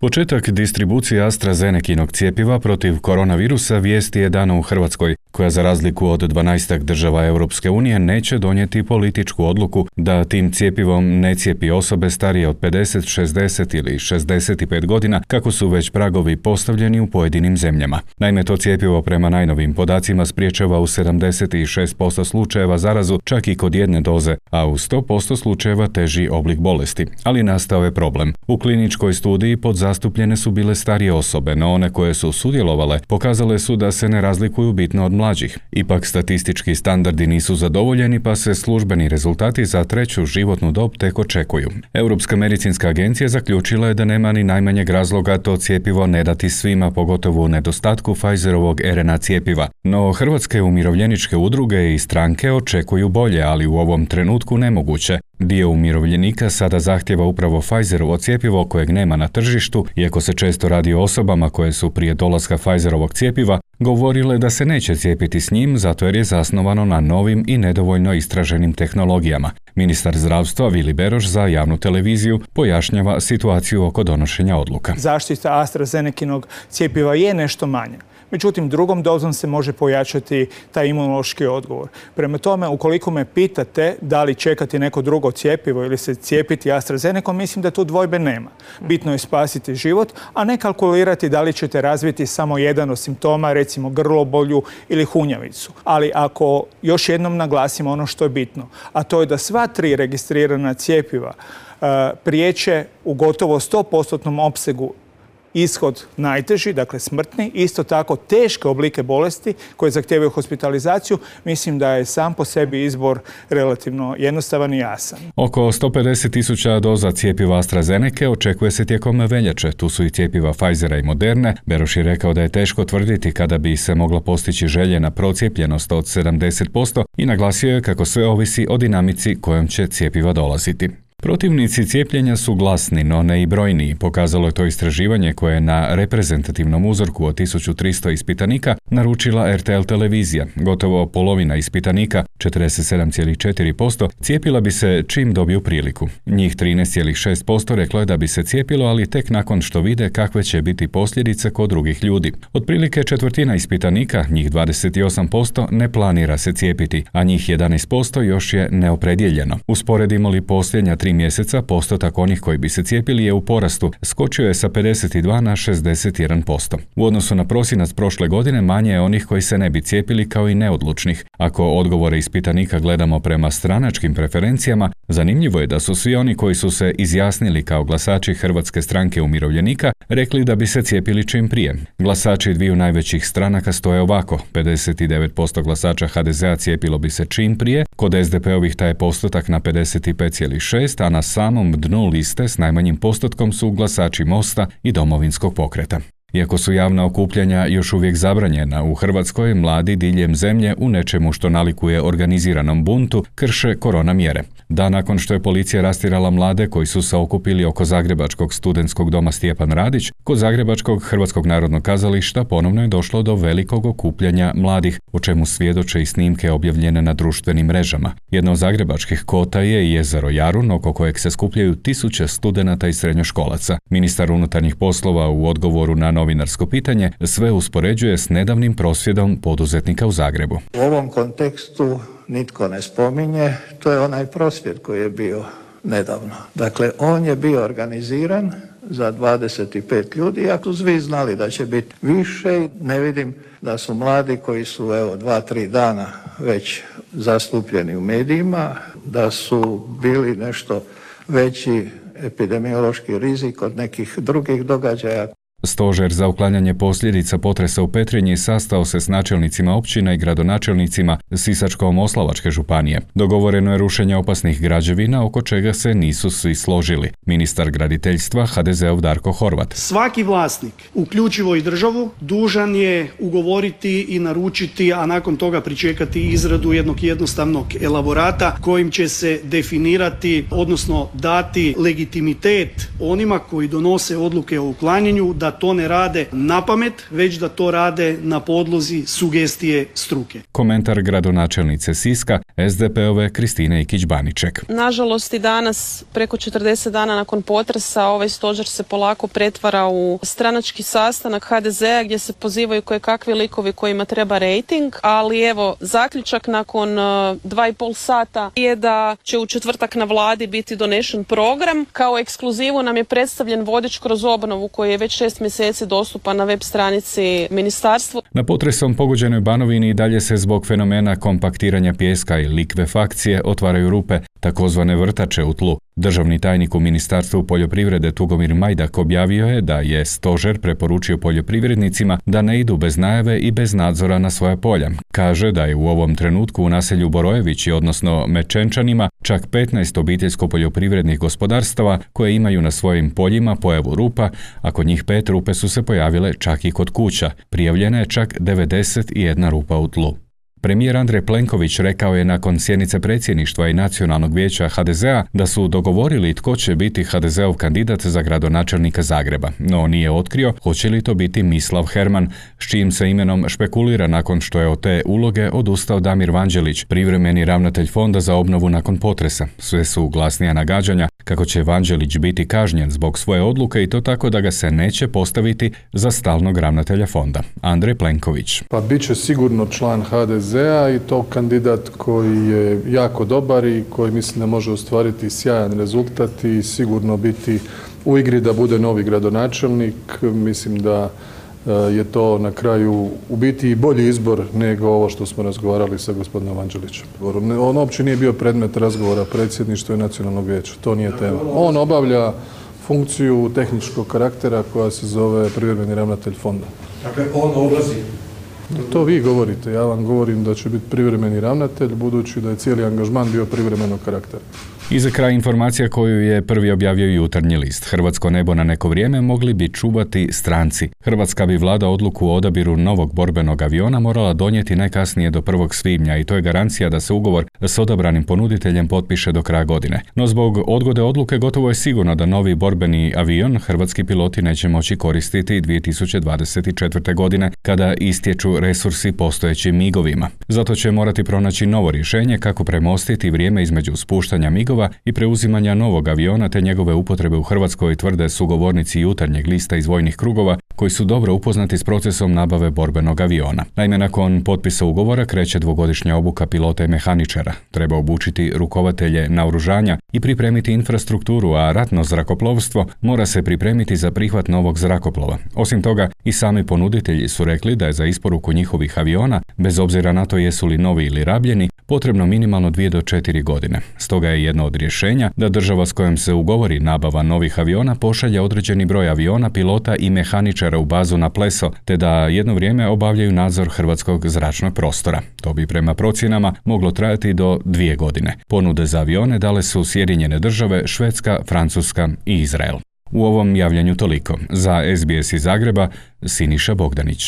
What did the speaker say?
Početak distribucije AstraZenekinog cjepiva protiv koronavirusa vijesti je dana u Hrvatskoj, koja za razliku od 12 država Europske unije neće donijeti političku odluku da tim cjepivom ne cijepi osobe starije od 50, 60 ili 65 godina, kako su već pragovi postavljeni u pojedinim zemljama. Naime, to cjepivo prema najnovim podacima spriječava u 76% slučajeva zarazu čak i kod jedne doze, a u 100% slučajeva teži oblik bolesti. Ali nastao je problem. U kliničkoj studiji podzastupljene su bile starije osobe, no one koje su sudjelovale pokazale su da se ne razlikuju bitno od mlađih. Ipak statistički standardi nisu zadovoljeni, pa se službeni rezultati za treću životnu dob tek očekuju. Europska medicinska agencija zaključila je da nema ni najmanjeg razloga to cjepivo ne dati svima, pogotovo u nedostatku Pfizerovog RNA cjepiva. No hrvatske umirovljeničke udruge i stranke očekuju bolje, ali u ovom trenutku nemoguće. Dio umirovljenika sada zahtjeva upravo Pfizerovo cjepivo kojeg nema na tržištu, iako se često radi o osobama koje su prije dolaska Pfizerovog cjepiva govorile da se neće cijepiti s njim zato jer je zasnovano na novim i nedovoljno istraženim tehnologijama. Ministar zdravstva Vili Beroš za javnu televiziju pojašnjava situaciju oko donošenja odluka. Zaštita AstraZenekinog cjepiva je nešto manja. Međutim, drugom dozom se može pojačati taj imunološki odgovor. Prema tome, ukoliko me pitate da li čekati neko drugo cjepivo ili se cijepiti AstraZenecom, mislim da tu dvojbe nema. Bitno je spasiti život, a ne kalkulirati da li ćete razviti samo jedan od simptoma, recimo grlobolju ili hunjavicu. Ali ako još jednom naglasimo ono što je bitno, a to je da sva 3 registrirana cjepiva priječe u gotovo 100% opsegu ishod najteži, dakle smrtni, isto tako teške oblike bolesti koje zahtijevaju hospitalizaciju, mislim da je sam po sebi izbor relativno jednostavan i jasan. Oko 150.000 doza cjepiva AstraZeneke očekuje se tijekom veljače. Tu su i cjepiva Pfizera i Moderne. Beroš je rekao da je teško tvrditi kada bi se mogla postići željena procijepljenost od 70% i naglasio je kako sve ovisi o dinamici kojom će cjepiva dolaziti. Protivnici cijepljenja su glasni, no ne i brojniji. Pokazalo je to istraživanje koje je na reprezentativnom uzorku od 1300 ispitanika naručila RTL televizija. Gotovo polovina ispitanika, 47,4%, cijepila bi se čim dobiju priliku. Njih 13,6% reklo je da bi se cijepilo, ali tek nakon što vide kakve će biti posljedice kod drugih ljudi. Otprilike četvrtina ispitanika, njih 28%, ne planira se cijepiti, a njih 11% još je neopredijeljeno. Usporedimo li posljednja 3 mjeseca, postotak onih koji bi se cijepili je u porastu, skočio je sa 52 na 61%. U odnosu na prosinac prošle godine manje je onih koji se ne bi cijepili kao i neodlučnih. Ako odgovore ispitanika gledamo prema stranačkim preferencijama, zanimljivo je da su svi oni koji su se izjasnili kao glasači Hrvatske stranke umirovljenika rekli da bi se cijepili čim prije. Glasači dviju najvećih stranaka stoje ovako: 59% glasača HDZ-a cijepilo bi se čim prije, kod SDP-ovih taj je postotak na 55,6%, a na samom dnu liste s najmanjim postotkom su glasači Mosta i Domovinskog pokreta. Iako su javna okupljanja još uvijek zabranjena, u Hrvatskoj mladi diljem zemlje u nečemu što nalikuje organiziranom buntu krše korona mjere. Dan nakon što je policija rastjerala mlade koji su se okupili oko zagrebačkog studentskog doma Stjepan Radić, kod zagrebačkog Hrvatskog narodnog kazališta ponovno je došlo do velikog okupljanja mladih, o čemu svjedoče i snimke objavljene na društvenim mrežama. Jedna od zagrebačkih kota je i jezero Jarun, oko kojeg se skupljaju tisuće studenata i srednjoškolaca. Ministar unutarnjih poslova u odgovoru na novinarsko pitanje sve uspoređuje s nedavnim prosvjedom poduzetnika u Zagrebu. U ovom kontekstu nitko ne spominje, to je onaj prosvjed koji je bio nedavno. Dakle, on je bio organiziran za 25 ljudi, ako su svi znali da će biti više, ne vidim da su mladi koji su 2-3 dana već zastupljeni u medijima, da su bili nešto veći epidemiološki rizik od nekih drugih događaja. Stožer za uklanjanje posljedica potresa u Petrinji sastao se s načelnicima općina i gradonačelnicima Sisačko-moslavačke županije. Dogovoreno je rušenje opasnih građevina oko čega se nisu svi složili. Ministar graditeljstva HDZ-ov Darko Horvat. Svaki vlasnik, uključivo i državu, dužan je ugovoriti i naručiti, a nakon toga pričekati izradu jednog jednostavnog elaborata kojim će se definirati, odnosno dati legitimitet onima koji donose odluke o uklanjanju da da to ne rade na pamet, već da to rade na podlozi sugestije struke. Komentar gradonačelnice Siska, SDP-ove Kristine Ikić-Baniček. Nažalost i danas, preko 40 dana nakon potresa, ovaj stožer se polako pretvara u stranački sastanak HDZ-a gdje se pozivaju kojekakvi likovi kojima treba rejting, ali evo, zaključak nakon 2,5 sata je da će u četvrtak na vladi biti donešen program. Kao ekskluzivu nam je predstavljen vodič kroz obnovu koji je već 6 mjeseci dostupan na web stranici ministarstva. Na potresom pogođenoj Banovini i dalje se zbog fenomena kompaktiranja pijeska i likvefakcije otvaraju rupe, takozvane vrtače u tlu. Državni tajnik u Ministarstvu poljoprivrede Tugomir Majdak objavio je da je stožer preporučio poljoprivrednicima da ne idu bez najave i bez nadzora na svoja polja. Kaže da je u ovom trenutku u naselju Borojevići, odnosno Mečenčanima, čak 15 obiteljsko-poljoprivrednih gospodarstava koje imaju na svojim poljima pojavu rupa, a kod njih 5 rupe su se pojavile čak i kod kuća. Prijavljena je čak 91 rupa u tlu. Premijer Andrej Plenković rekao je nakon sjednice predsjedništva i Nacionalnog vijeća HDZ-a da su dogovorili tko će biti HDZ-ov kandidat za gradonačelnika Zagreba, no nije otkrio hoće li to biti Mislav Herman, s čijim se imenom špekulira nakon što je od te uloge odustao Damir Vanđelić, privremeni ravnatelj Fonda za obnovu nakon potresa. Sve su glasnija nagađanja kako će Vanđelić biti kažnjen zbog svoje odluke i to tako da ga se neće postaviti za stalnog ravnatelja fonda. Andrej Plenković. Pa bit će sigurno član HDZ-a i to kandidat koji je jako dobar i koji mislim da može ostvariti sjajan rezultat i sigurno biti u igri da bude novi gradonačelnik. Mislim da je to na kraju u biti i bolji izbor nego ovo što smo razgovarali sa gospodinom Vanđelićem. On uopće nije bio predmet razgovora predsjedništva i Nacionalnog vijeća. To nije tema. On obavlja funkciju tehničkog karaktera koja se zove privremeni ravnatelj fonda. Dakle, on odlazi. To vi govorite, ja vam govorim da će biti privremeni ravnatelj, budući da je cijeli angažman bio privremenog karaktera. I za kraj informacija koju je prvi objavio Jutarnji list. Hrvatsko nebo na neko vrijeme mogli bi čuvati stranci. Hrvatska bi vlada odluku o odabiru novog borbenog aviona morala donijeti najkasnije do 1. svibnja i to je garancija da se ugovor s odabranim ponuditeljem potpiše do kraja godine. No zbog odgode odluke gotovo je sigurno da novi borbeni avion hrvatski piloti neće moći koristiti 2024. godine kada istječu resursi postojećim migovima. Zato će morati pronaći novo rješenje kako premostiti vrijeme između spuštanja migova i preuzimanja novog aviona te njegove upotrebe u Hrvatskoj, tvrde sugovornici Jutarnjeg lista iz vojnih krugova koji su dobro upoznati s procesom nabave borbenog aviona. Naime, nakon potpisa ugovora kreće 2-godišnja obuka pilota i mehaničara. Treba obučiti rukovatelje naoružanja i pripremiti infrastrukturu, a ratno zrakoplovstvo mora se pripremiti za prihvat novog zrakoplova. Osim toga, i sami ponuditelji su rekli da je za isporuku njihovih aviona, bez obzira na to jesu li novi ili rabljeni, potrebno minimalno 2 do 4 godine. Stoga je jedno od rješenja da država s kojom se ugovori nabava novih aviona pošalje određeni broj aviona, pilota i mehaničara u bazu na Pleso, te da jedno vrijeme obavljaju nadzor hrvatskog zračnog prostora. To bi prema procjenama moglo trajati do 2 godine. Ponude za avione dale su Sjedinjene Države, Švedska, Francuska i Izrael. U ovom javljanju toliko. Za SBS iz Zagreba, Siniša Bogdanić.